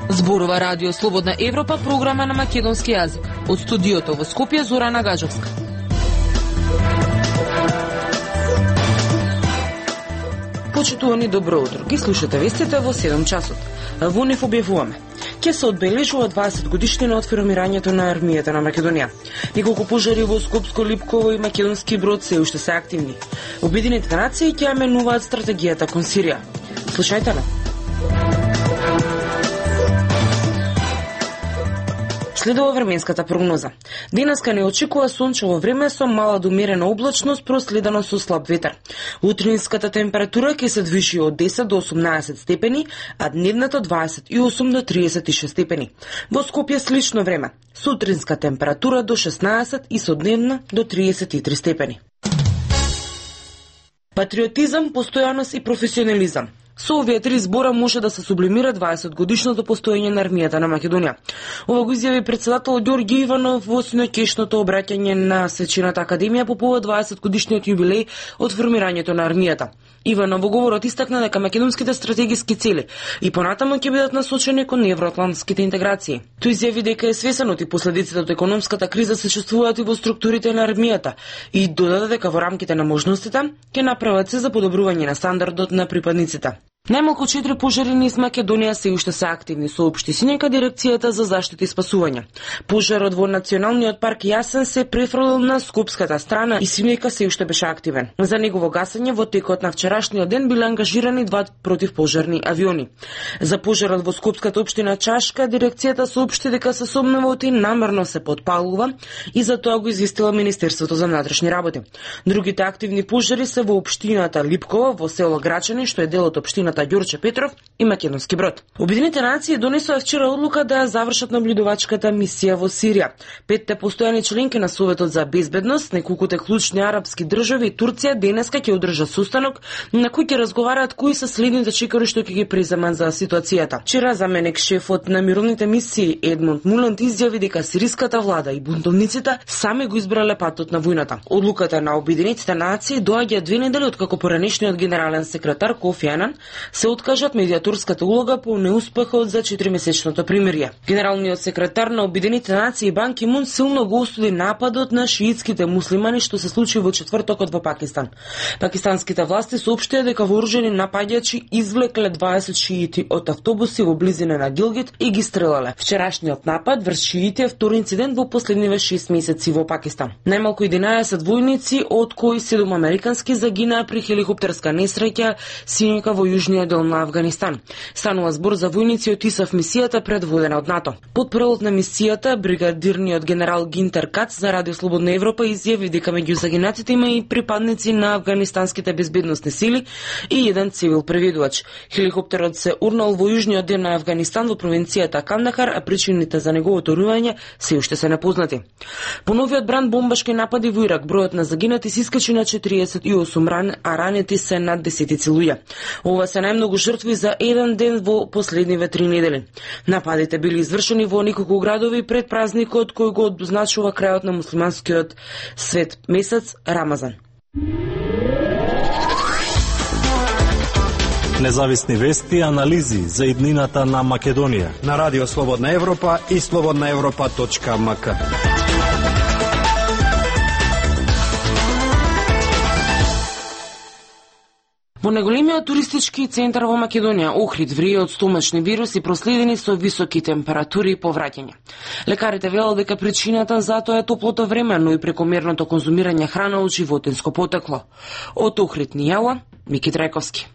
Зборува Радио Слободна Европа, програма на македонски јазик. Од студиото во Скопје, Зорана Гаджовска. Почитувани, добро утро. Ги слушате вестите во 7 часот. Во нив објавуваме: ќе се одбележува 20 годишнина од формирањето на армијата на Македонија. Неколку пожари во Скопско, Липково и Македонски Брод се уште се активни. Обединетите нации ќе ја менуваат стратегијата кон Сирија. Слушајте на. Следува временската прогноза. Денеска не очекува сончево време со мала до умерена облачност, проследено со слаб ветер. Утринската температура ќе се движи од 10 до 18 степени, а дневната 28 до 36 степени. Во Скопје слично време. Сутринска температура до 16 и содневна до 33 степени. Патриотизам, постојаност и професионализам. Со овие три збора може да се сублимира 20 годишното постоење на армијата на Македонија. Ова го изјави председател Ѓорѓе Иванов во синоќешното обраќање на Свечената академија по повод 20 годишниот јубилеј од формирањето на армијата. Иванов во говорот истакна дека македонските стратегиски цели и понатаму ќе бидат насочени кон евроатлантските интеграции. Тој изјави дека е свесен од последиците од економската криза се чувствуваат и во структурите на армијата и додаде дека во рамките на можностите ќе направат се за подобрување на стандардот на припадниците. Најмалку 4 пожари низ Македонија се уште се активни, соопшти синека дирекцијата за заштита и спасување. Пожарот во Националниот парк Јасен се префрлил на скопската страна и синека се уште беше активен. За негово гасење во текот на вчерашниот ден биле ангажирани 2 противпожарни авиони. За пожарот во скопската општина Чашка дирекцијата соопшти дека се сомневаат и намерно се потпалува и за тоа го известила Министерството за внатрешни работи. Другите активни пожари се во општината Липково, во село Грачани, што е дел од општината Ѓорче Петров и Македонски Брод. Обединетите нации донесоа вчера одлука да ја завршат наблюдувачката мисија во Сирија. 5 постојани членки на Советот за безбедност, неколкуте клучни арапски држави и Турција денеска ќе одржат состанок на кој ќе разговараат кои се следните чекори што ќе ги преземат за ситуацијата. Вчера заменик шефот на мировните мисии Едмунд Муланд изјави дека сириската влада и бунтовниците сами го избрале патот на војната. Одлуката на Обединетите нации доаѓа 2 недели откако поранешниот генерален секретар Кофи Анан се откажат медиаторската улога по неуспехот за 4-месечното примирие. Генералниот секретар на Обединетите нации Бан Ки Мун силно го осуди нападот на шиитските муслимани што се случи во четвртокот во Пакистан. Пакистанските власти соопштија дека вооружени напаѓачи извлекле 20 шиити од автобуси во близина на Гилгит и ги стрелале. Вчерашниот напад врз шиити е втори инцидент во последниве 6 месеци во Пакистан. Најмалку 11 војници, од кои 7 американски загинаа при хеликоптерска несреќа синека во јужниот дел на Авганистан. Станува збор за војници од ИСАФ мисијата предводена од НАТО. Потпрелот на мисијата, бригадирниот генерал Гинтер Кац за Радио Слободна Европа изјави дека меѓу загинатите има и припадници на афганистанските безбедносни сили и еден цивил преведувач. Хеликоптерот се урнал во јужниот дел на Авганистан во провинцијата Кандахар, а причините за неговото рување се уште се непознати. По новиот бранд бомбашки напади во Ирак, бројот на загинати се искачи на 48, а ранети се над 10 луѓе. Ова се најмногу жртви за еден ден во последниве 3 недели. Нападите били извршени во неколку градови пред празникот кој го обозначува крајот на муслиманскиот свет месец Рамазан. Независни вести и анализи за иднината на Македонија на Радио Слободна Европа и slobodnaevropa.mk. Во најголемиот туристички центар во Македонија, Охрид, врие од стомачни вируси проследени со високи температури и повраќање. Лекарите велат дека причината за тоа е топлото време, но и прекомерното конзумирање храна од животинско потекло. Од Охрид ни јава Мики Трајковски.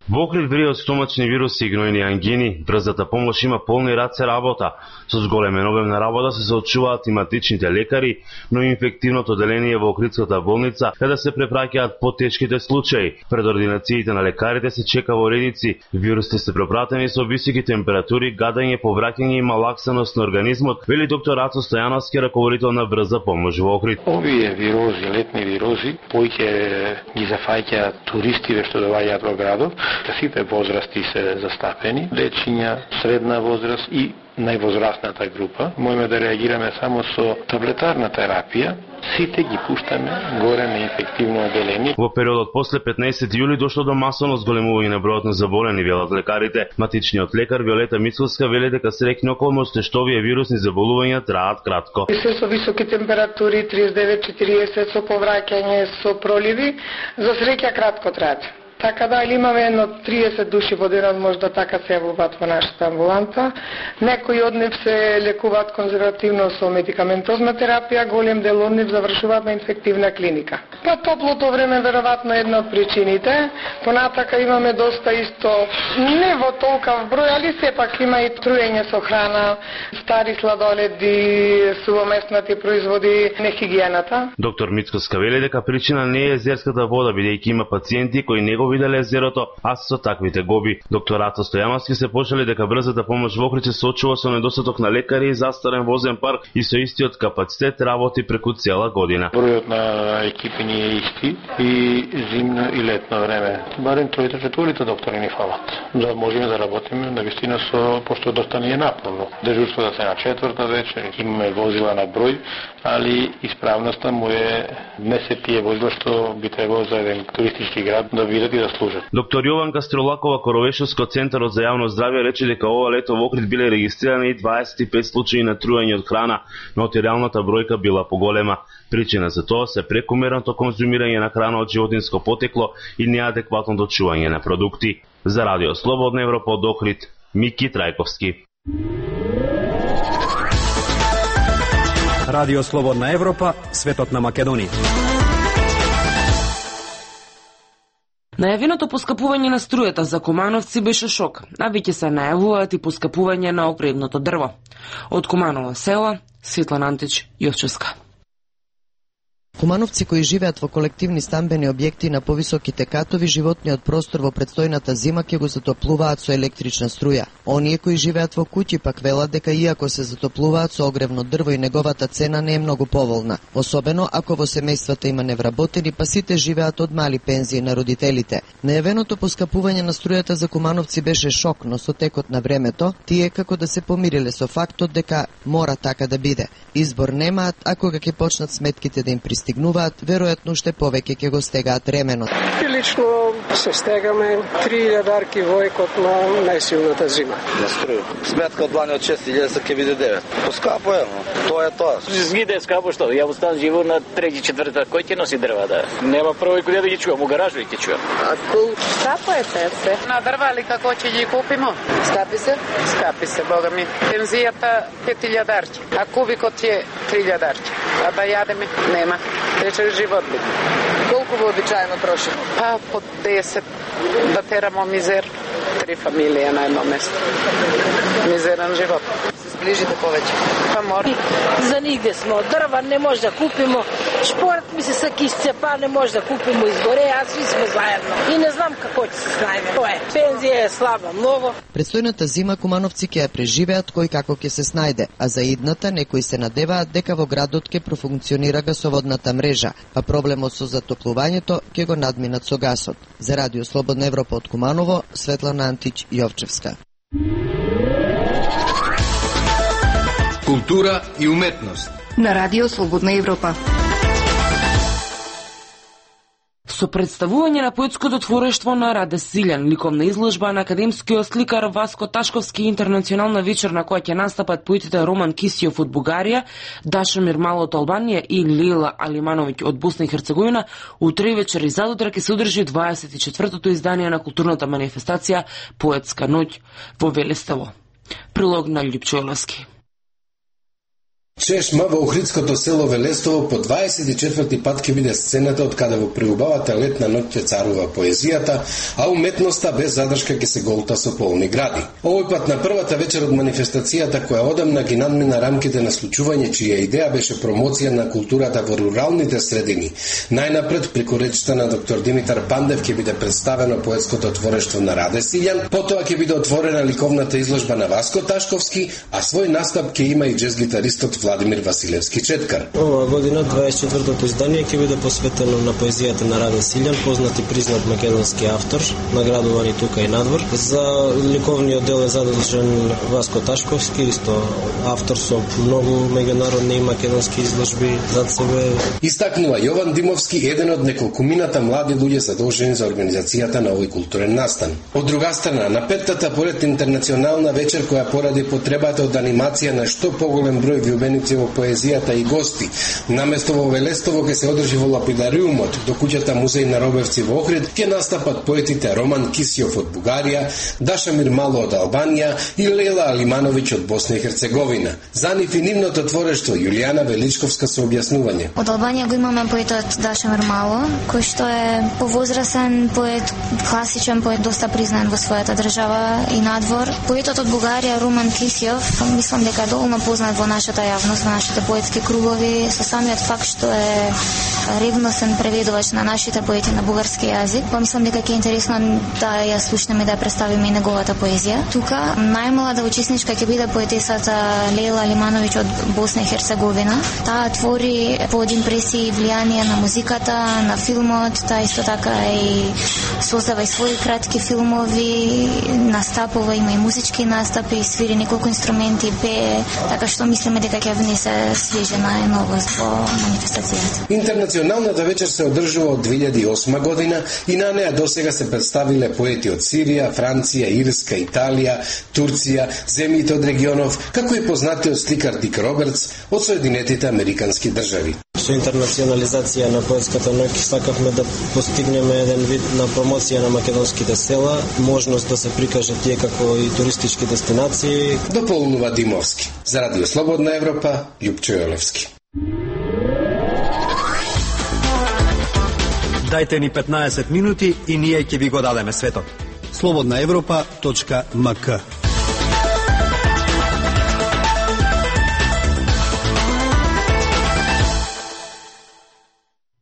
Во Охрид врие од стомачни вируси и гнојни ангини, брзата помош има полни раце работа. Со зголемен обем на работа се соочуваат тематичните лекари, но и инфективното деление во Охридската болница, каде се препраќаат потешките случаи. Пред ординациите на лекарите се чека во редици. Вирусите се пропратени со високи температури, гадање, повраќање и малаксаност на организмот, вели доктор Ацо Стојановски, раководител на брза помош во Охрид. Овие вирози, летни вирози, повеќе ги зафаќаат туристиве што доаѓаат во градот. Сите возрасти се застапени, дечиња, средна возраст и највозрастната група. Можеме да реагираме само со таблетарна терапија. Сите ги пуштаме горе на инфективно одделение. Во периодот после 15 јули дошло до масовно зголемување на бројот на заболени, велат лекарите. Матичниот лекар Виолета Мицковска вели дека среќни околности што овие вирусни заболувања траат кратко. Се со високи температури 39-40 со повраќање со проливи, за среќа кратко траат. Така да, или имаме едно 30 души во денот можда така се јавуваат во нашата амбуланта. Некои од нив се лекуваат конзервативно со медикаментозна терапија, голем дел од нив завршуваат на инфективна клиника. Па топлото време веројатно една од причините. Понатака имаме доста исто, не во толкав број, али сепак има и труење со храна, стари сладоледи, сувоместнати производи, нехигиената. Доктор Мицковска вели дека причина не е езерската вода, бидејќи има пациенти кои не го виделе езерото, а со таквите гоби. Доктор Ато Стојановски се почели дека брзата помош во Охрид се соочува со недостаток на лекари и застарен возен парк и со истиот капацитет работи преку цела година. Бројот на екипи ни е исти и зимно и летно време. Барем тројте-четворите доктори ни фалат. Да можеме да работиме навистина со, пошто доста ни е напорно. Дежурство да се на четврта вечер, имаме возила на број, али исправноста му е не се тие возила што би требало за еден туристички град да видат и да служат. Доктор Јованка Стролакова, Коровешовско центарот за јавно здравје, рече дека ова лето во Охрид биле регистрирани 25 случаи на труење од храна, но реалната бројка била поголема. Причина за тоа се прекумерното конзумирање на храна од животинско потекло и неадекватното чување на продукти. За Радио Слободна Европа од Охрид, Мики Трајковски. Радио Слободна Европа, светот на Македонија. Најавеното поскапување на струјата за Кумановци беше шок, а веќе се најавуваат и поскапување на огредното дрво. Од Куманово села, Светлана Антич, Јовчевска. Кумановци кои живеат во колективни стамбени објекти на повисоките катови, животниот простор во предстојната зима ќе го затоплуваат со електрична струја. Оние кои живеат во куќи пак велат дека иако се затоплуваат со огревно дрво и неговата цена не е многу поволна, особено ако во семејствата има невработени, па сите живеат од мали пензии на родителите. Најавеното поскапување на струјата за Кумановци беше шок, но со текот на времето тие како да се помириле со фактот дека мора така да биде. Избор немаат, а кога ќе почнат сметките да им пристигнуваат, веројатно уште повеќе ќе го стегаат ременот. Лично се стегаме 3000 дарки во екот на најсилната зима. На струја. Сметка од длани од 6000 ќе биде 9. Поскапо е, но тоа е тоа. Згиде е скапо што? Ја остан живот на 3-4, кој ќе носи дрва да? Нема прво куде да ги чувам, у гаражу ќе чувам. Скапо е се. На дрва ли како ќе ги купимо? Скапи се? Скапи се, бога ми. Пензијата 5000 дарки, а кубикот е 3000 дарки. А да јадеме нема. Рече живот би. Колку вообичаено трошимо? Па по 10 да терамо мизер. 3 фамилија на едно место. Мизерен живот. Се сближите повеќе? Па мора. За нигде сме од дрва, не може да купимо. Шпорт ми се са кисцепа, не може да купимо изгоре, а сви сме заедно. И не знам како ќе се снајме. Тоа е. Пензија е слаба многу. Предстојната зима Кумановци ќе ја преживеат кој како ќе се снајде, а за идната некои се надеваат дека во градот ќе профункционира гасоводната мрежа, а проблемот со затоплувањето ќе го надминат со гасот. За Радио Слободна Европа од Куманово, Светлана Антич, Јовчевска. Култура и уметност на Радио Слободна Европа. Со представување на поетското творештво на Раде Силјан, ликовна изложба на академскиот сликар Васко Ташковски, интернационална вечер на која ќе настапат поетите Роман Кисиов од Бугарија, Дашомир Мало од Албанија и Лила Алимановиќ од Босна и Херцеговина, утре вечер и задутре ќе се одржи 24-тото издание на културната манифестација Поетска ноќ во Велеставо. Прилог на Љупчо Оловски. Чешма во Охридското село Велестово по 24 пат ќе биде сцената од каде во преубавата летна ноќ ќе царува поезијата, а уметноста без задршка ќе се голта со полни гради. Овој пат на првата вечер од манифестацијата која одамна ги надмина рамките на случување чија идеја беше промоција на културата во руралните средини. Најнапред преку речта на доктор Димитар Пандев ќе биде представено поетското творештво на Раде Силјан, потоа ќе биде отворена ликовната изложба на Васко Ташковски, а свој настап ќе има и џез гитаристот Владимир Василевски Четкар. Ова година 24-то издание ќе биде посветено на поезијата на Раде Силјан, познат и признат македонски автор, наградуван и тука и надвор. За ликовниот дел е задолжен Васко Ташковски, исто автор со многу меѓународни и македонски изложби зад себе. Истакнува Јован Димовски, еден од неколкумината млади луѓе задолжени за организацијата на овој културен настан. Од друга страна, на петтата поред интернационална вечер која поради потребата од анимација на што поголем број влюбеници во поезијата и гости, наместо во Велестово ќе се одржи во Лапидариумот, до куќата музеј на Робевци во Охрид, ќе настапат поетите Роман Кисјов од Бугарија, Дашамир Мало од Албанија и Лела Алимановиќ од Босна и Херцеговина. За нив и нивното творештво Јулијана Величковска со објаснување. Од Албанија го имаме поетот Дашамир Мало, кој што е повозрасен поет, класичен поет, доста признан во својата држава и надвор. Поетот од Бугарија Роман Кисјов, мислам дека е доволно познат во нашата јавност, во нашите поетски кругови, со самиот факт што е ревносен преведувач на нашите поети на бугарски јазик. Помислам дека ќе е интересно да ја слушнеме и да ја представиме и неговата поезија. Тука најмлада учесничка ќе биде поетесата Лела Алимановиќ од Босна и Херцеговина. Таа твори под импресии и влијание на музиката, на филмот, таа исто така и создава и своји кратки филмови, настапува, има и музички настапи, свири неколку инструменти, пее, така што мислиме дека ќе внесе свежина и новост во манифестацијата. Интернационалната вечер се одржува од 2008 година и на неа досега се представиле поети од Сирија, Франција, Ирска, Италија, Турција, земјите од регионов, како и познатиот сликар Дик Робертс од Соединетите Американски држави. Со интернационализација на поетската ноќ сакавме да постигнеме еден вид на промоција на македонските села, можност да се прикаже тие како и туристички дестинации. Дополнува Димовски. За Радио Слободна Европа, Љупчо Јолевски. Дајте ни 15 минути и ние ќе ви го дадеме светот. slobodnaevropa.mk.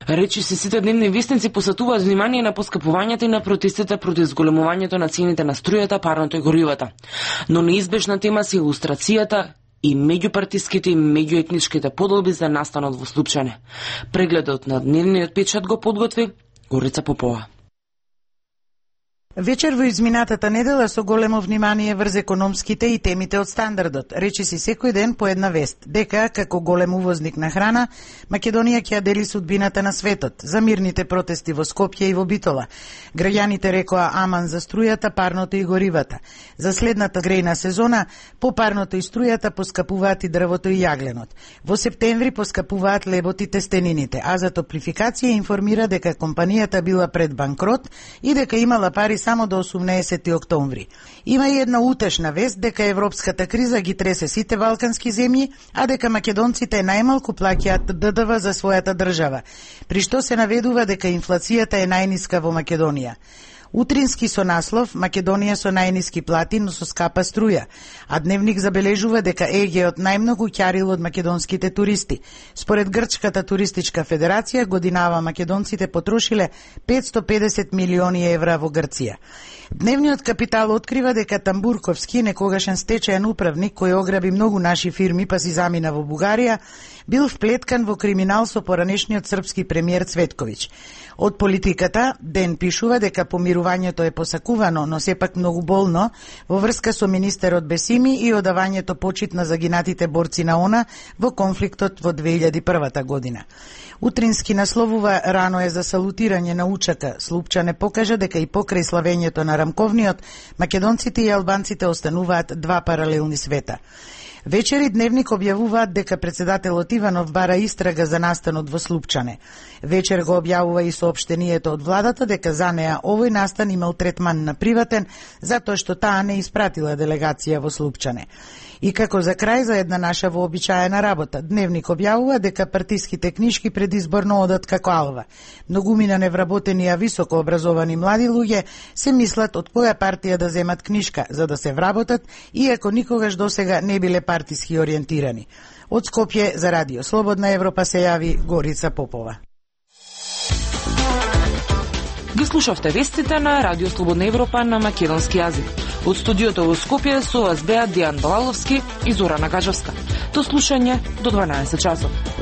Речиси сите дневни вестници посетуваат внимание на поскапувањето и на протестите против зголемувањето на цените на струјата, парното и горивата. Но неизбежна тема се илустрацијата и меѓупартиските и меѓуетничките поделби за настанот во Слупчане. Прегледот на дневниот печат го подготви Горица Попова. Вечер во изминатата недела со големо внимание врз економските и темите од стандардот. Речиси секој ден по една вест, дека како голем увозник на храна, Македонија ќе ја дели судбината на светот. За мирните протести во Скопје и во Битола. Граѓаните рекоа аман за струјата, парното и горивата. За следната грејна сезона, по парното и струјата поскапуваат и дрвото и јагленот. Во септември поскапуваат лебот и тестенините, а за топлификација информира дека компанијата била пред банкрот и дека имала пари само до 18 октомври. Има и една утешна вест дека европската криза ги тресе сите балкански земји, а дека македонците најмалку плаќаат ДДВ за својата држава, при што се наведува дека инфлацијата е најниска во Македонија. Утрински со наслов Македонија со најниски плати, но со скапа струја, а Дневник забележува дека ЕГ-от најмногу ќарил од македонските туристи. Според Грчката туристичка федерација, годинава македонците потрошиле 550 милиони евра во Грција. Дневниот Капитал открива дека Тамбурковски, некогашен стечаен управник кој ограби многу наши фирми па си замина во Бугарија, бил вплеткан во криминал со поранешниот српски премиер Цветковиќ. Од Политиката Ден пишува дека помирувањето е посакувано, но сепак многу болно во врска со министерот Бесими и одавањето почит на загинатите борци на ОНА во конфликтот во 2001 година. Утрински насловува рано е за салутирање на учака. Слупчане покажа дека и покрај славењето на Рамковниот, македонците и албанците остануваат два паралелни света. Вечери Дневник објавуваат дека председателот Иванов бара истрага за настанот во Слупчане. Вечер го објавува и соопштението од владата дека за неа овој настан имал третман на приватен, затоа што таа не испратила делегација во Слупчане. И како за крај за една наша вообичаена работа, Дневник објавува дека партиските книшки предизборно одат како алва. Многумина невработени, а високо образовани млади луѓе се мислат од која партија да земат книшка за да се вработат, иако никогаш досега не биле партиски ориентирани. Од Скопје за Радио Слободна Европа се јави Горица Попова. Ги слушавте вестите на Радио Слободна Европа на македонски јазик. Од студиото во Скопје со вас беа Дијан Балаловски и Зорана Гаджевска. До слушање до 12 часот.